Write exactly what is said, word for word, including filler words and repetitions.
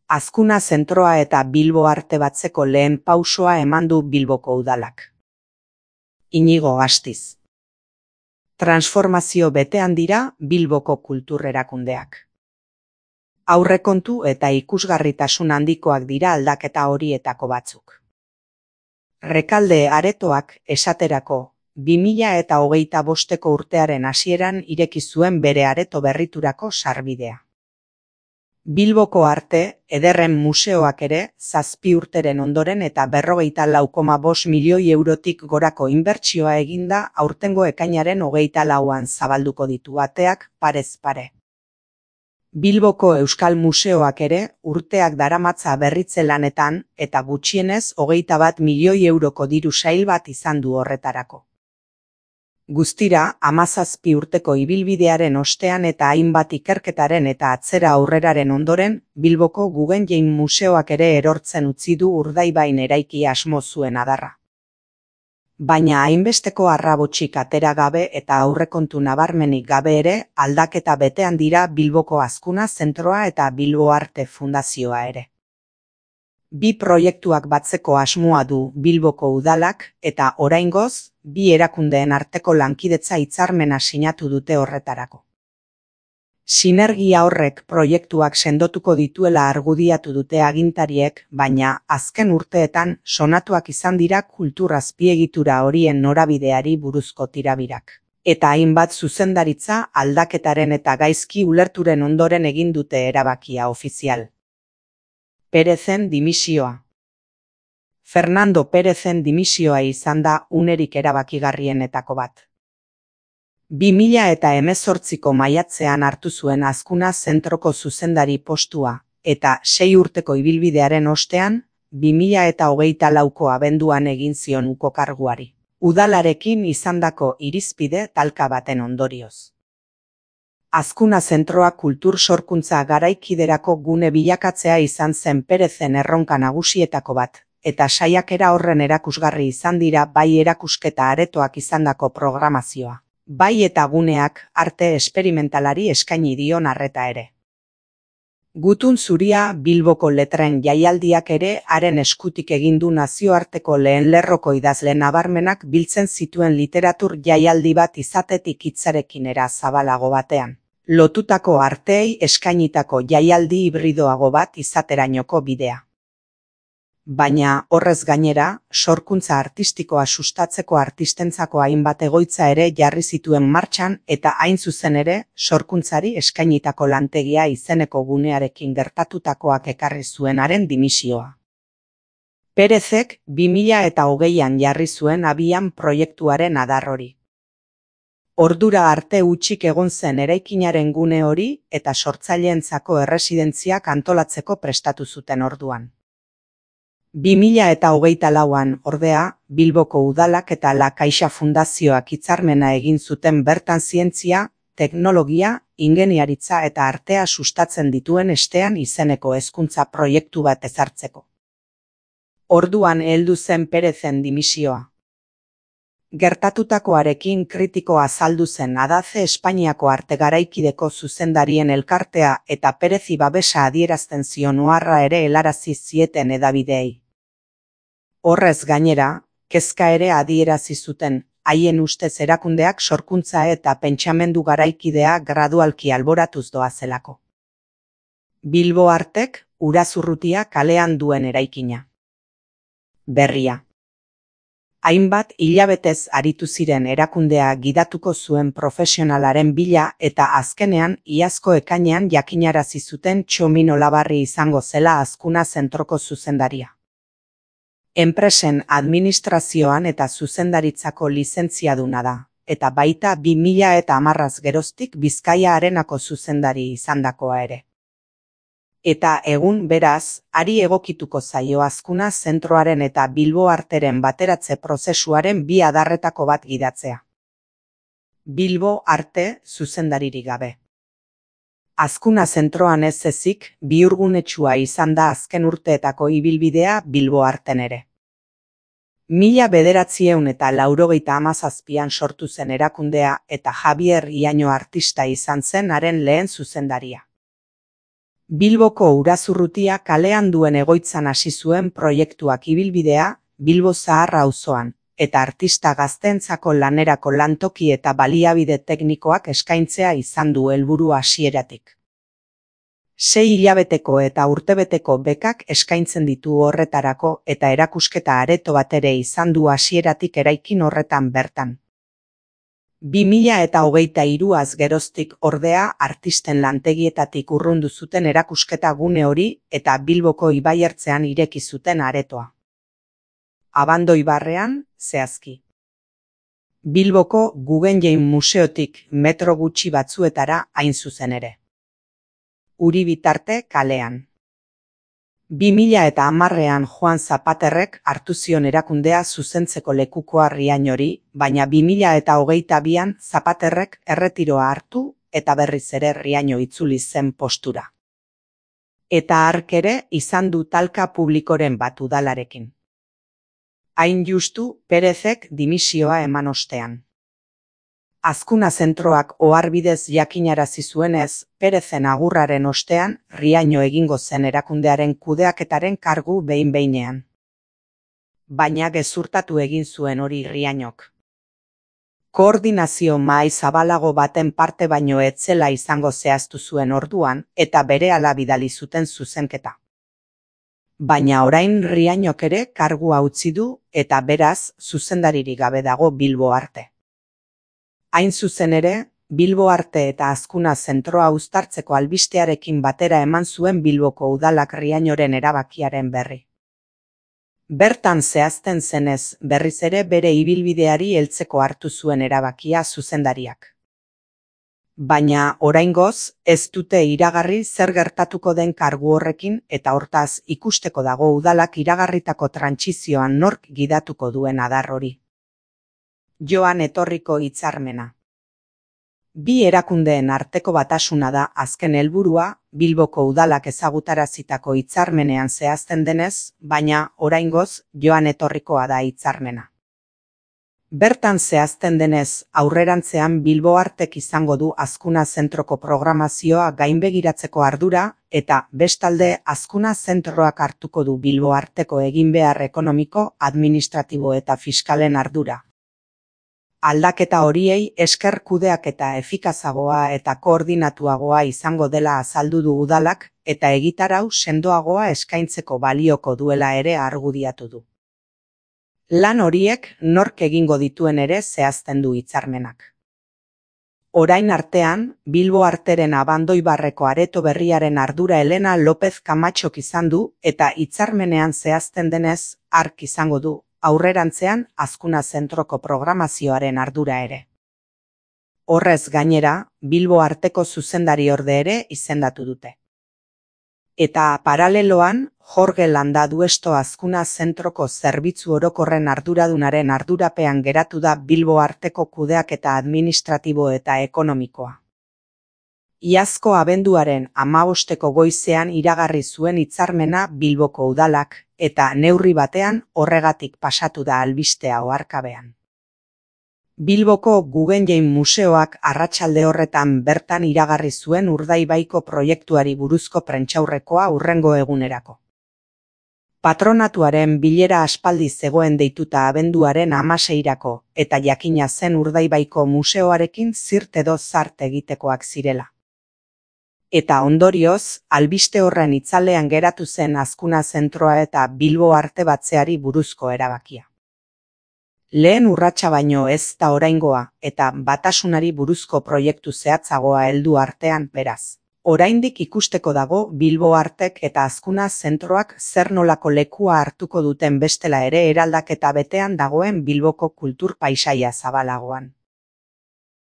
Azkuna zentroa eta Bilbo Arte Batzeko lehen pausoa eman du Bilboko udalak. Inigo Astiz. Transformazio betean dira Bilboko kultur erakundeak. Aurrekontu eta ikusgarritasun handikoak dira aldaketa horietako batzuk. Rekalde aretoak, esaterako, bi mila eta hogeita bosteko urtearen hasieran ireki zuen bere areto berriturako sarbidea. Bilboko Arte Ederren Museoak ere zazpi urteren ondoren eta berrogeita lau koma bost milioi eurotik gorako inbertsioa eginda aurtengo ekainaren hogeita lauan zabalduko ditu ateak parez pare. Bilboko Euskal Museoak ere urteak daramatza berritze lanetan eta gutxienez hogeita bat milioi euroko diru sail bat izan du horretarako. Guztira, hamazazpi urteko ibilbidearen ostean eta hainbat ikerketaren eta atzera aurreraren ondoren, Bilboko Guggenheim Museoak ere erortzen utzi du Urdaibain eraiki asmo zuen adarra. Baina hainbesteko arrabotxik atera gabe eta aurrekontu nabarmenik gabe ere, aldaketa betean dira Bilboko Azkuna zentroa eta Bilbo Arte Fundazioa ere. Bi proiektuak batzeko asmoa du Bilboko udalak eta oraingoz, bi erakundeen arteko lankidetza hitzarmena sinatu dute horretarako. Sinergia horrek proiektuak sendotuko dituela argudiatu dute agintariek, baina azken urteetan sonatuak izan dira kultur azpiegitura horien norabideari buruzko tirabirak. Eta hainbat zuzendaritza aldaketaren eta gaizki ulerturen ondoren egin dute erabakia ofizial. Perezen dimisioa. Fernando Perezen dimisioa izan da unerik erabakigarrienetako bat. bi mila eta hemezortziko maiatzean hartu zuen Azkuna zentroko zuzendari postua, eta sei urteko ibilbidearen ostean, bi mila eta hogeita lauko abenduan egin zion uko karguari. Udalarekin izandako irizpide talka baten ondorioz. Azkuna zentroa kultur sorkuntza garaikiderako gune bilakatzea izan zen Perezen erronka nagusietako bat, eta saiakera horren erakusgarri izan dira bai erakusketa aretoak izandako programazioa, bai eta guneak arte esperimentalari eskaini dion arreta ere. Gutun zuria Bilboko letren jaialdiak ere haren eskutik egin du nazioarteko lehen lerroko idazle nabarmenak biltzen zituen literatur jaialdi bat izatetik hitzarekin era zabalago batean. Lotutako arteei eskainitako jaialdi hibridoago bat izaterainoko bidea. Baina, horrez gainera, sorkuntza artistikoa sustatzeko artistentzako hainbat egoitza ere jarri zituen martxan eta hain zuzen ere, sorkuntzari eskainitako lantegia izeneko gunearekin gertatutakoak ekarri zuenaren dimisioa. Perezek bi mila eta hogeian jarri zuen abian proiektuaren adar hori. Ordura arte hutsik egon zen eraikinaren gune hori eta sortzaileentzako erresidentziak antolatzeko prestatu zuten orduan. bi mila eta hogeita lauan, ordea, Bilboko udalak eta La Caixa Fundazioak hitzarmena egin zuten bertan zientzia, teknologia, ingeniaritza eta artea sustatzen dituen estean izeneko hezkuntza proiektu bat ezartzeko. Orduan heldu zen Perezen dimisioa. Gertatutakoarekin kritiko azaldu zen Adaze Espainiako arte garaikideko zuzendarien elkartea eta Perezi babesa adierazten zion oharra ere helarazi zieten hedabideei. Horrez gainera, kezka ere adierazi zuten, haien ustez erakundeak sorkuntza eta pentsamendu garaikidea gradualki alboratuz doazelako. Bilbo Artek Urazurrutia kalean duen eraikina. Berria. Hainbat hilabetez aritu ziren erakundea gidatuko zuen profesionalaren bila eta azkenean iazko ekainean jakinarazi zuten Txomin Olabarri izango zela Azkuna zentroko zuzendaria. Enpresen administrazioan eta zuzendaritzako lizentziaduna da, eta baita bi mila eta hamarraz geroztik Bizkaia Arenako zuzendari izandakoa ere. Eta egun beraz, ari egokituko zaio Azkuna zentroaren eta Bilbo Arteren bateratze prozesuaren bi adarretako bat gidatzea. Bilbo Arte zuzendaririk gabe. Azkuna zentroan ez ezik, bihurgunetsua izan da azken urteetako ibilbidea Bilbo Arten ere. Mila bederatziehun eta laurogeita hamazazpian sortu zen erakundea eta Javier Iaño artista izan zen haren lehen zuzendaria. Bilboko Urazurrutia kalean duen egoitzan hasi zuen proiektuak ibilbidea Bilbo Zahar auzoan, eta artista gazteentzako lanerako lantoki eta baliabide teknikoak eskaintzea izan du helburu hasieratik. Sei hilabeteko eta urtebeteko bekak eskaintzen ditu horretarako eta erakusketa areto bat ere izan du hasieratik eraikin horretan bertan. bi mila eta hogeita hiruaz geroztik ordea artisten lantegietatik urrundu zuten erakusketa gune hori eta Bilboko ibaiertzean ireki zuten aretoa. Abandoi barrean, zehazki. Bilboko Guggenheim Museotik metro gutxi batzuetara hain zuzen ere. Uri bitarte kalean. bi mila eta hamarrean Joan Zapaterrek hartu zion erakundea zuzentzeko lekukoa Riañori, baina bi mila eta hogeita bian Zapaterrek erretiroa hartu eta berriz ere Riaño itzuli zen postura. Eta hark ere izan du talka publikoren bat udalarekin. Hain justu Perezek dimisioa eman ostean. Azkuna zentroak oharbidez jakinarazi zuenez, Perezen agurraren ostean, Riaño egingo zen erakundearen kudeaketaren kargu behin-behinean. Baina gezurtatu egin zuen hori Riañok. Koordinazio mahai zabalago baten parte baino ez zela izango zehaztu zuen orduan, eta berehala bidali zuten zuzenketa. Baina orain Riañok ere kargua utzi du, eta beraz, zuzendaririk gabe dago Bilbo Arte. Hain zuzen ere, Bilbo Arte eta Azkuna zentroa uztartzeko albistearekin batera eman zuen Bilboko udalak Riañoren erabakiaren berri. Bertan zehazten zenez, berriz ere bere ibilbideari heltzeko hartu zuen erabakia zuzendariak. Baina, oraingoz, ez dute iragarri zer gertatuko den kargu horrekin eta hortaz ikusteko dago udalak iragarritako trantsizioan nork gidatuko duen adar hori. Joan etorriko hitzarmena. Bi erakundeen arteko batasuna da azken helburua, Bilboko udalak ezagutarazitako hitzarmenean zehazten denez, baina oraingoz joan etorrikoa da hitzarmena. Bertan zehazten denez, aurrerantzean Bilbo Artek izango du Azkuna zentroko programazioa gainbegiratzeko ardura eta bestalde Azkuna zentroak hartuko du Bilbo Arteko eginbehar ekonomiko, administratibo eta fiskalen ardura. Aldaketa horiei esker kudeaketa efikazagoa eta koordinatuagoa izango dela azaldu du udalak eta egitarau sendoagoa eskaintzeko balioko duela ere argudiatu du. Lan horiek nork egingo dituen ere zehazten du hitzarmenak. Orain artean, Bilbo Arteren Abandoibarreko areto berriaren ardura Elena López Kamatxok izan du eta hitzarmenean zehazten denez, hark izango du. Aurrerantzean Azkuna zentroko programazioaren ardura ere. Horrez gainera, Bilbo Arteko zuzendariorde ere izendatu dute. Eta paraleloan, Jorge Landaduesto Azkuna zentroko zerbitzu orokorren arduradunaren ardurapean geratu da Bilbo Arteko kudeaketa administratibo eta ekonomikoa. Iazko abenduaren hamabosteko goizean iragarri zuen hitzarmena Bilboko udalak, eta neurri batean horregatik pasatu da albistea oharkabean. Bilboko Guggenheim Museoak arratsalde horretan bertan iragarri zuen Urdaibaiko proiektuari buruzko prentsaurrekoa hurrengo egunerako. Patronatuaren bilera aspaldi zegoen deituta abenduaren hamaseirako, eta jakina zen Urdaibaiko museoarekin zirt edo zart egitekoak zirela. Eta ondorioz, albiste horren itzalean geratu zen Azkuna zentroa eta Bilbo Arte batzeari buruzko erabakia. Lehen urratsa baino ez da oraingoa eta batasunari buruzko proiektu zehatzagoa heldu artean beraz. Oraindik ikusteko dago Bilbo Artek eta Azkuna zentroak zer nolako lekua hartuko duten bestela ere eraldaketa betean dagoen Bilboko kultur paisaia zabalagoan.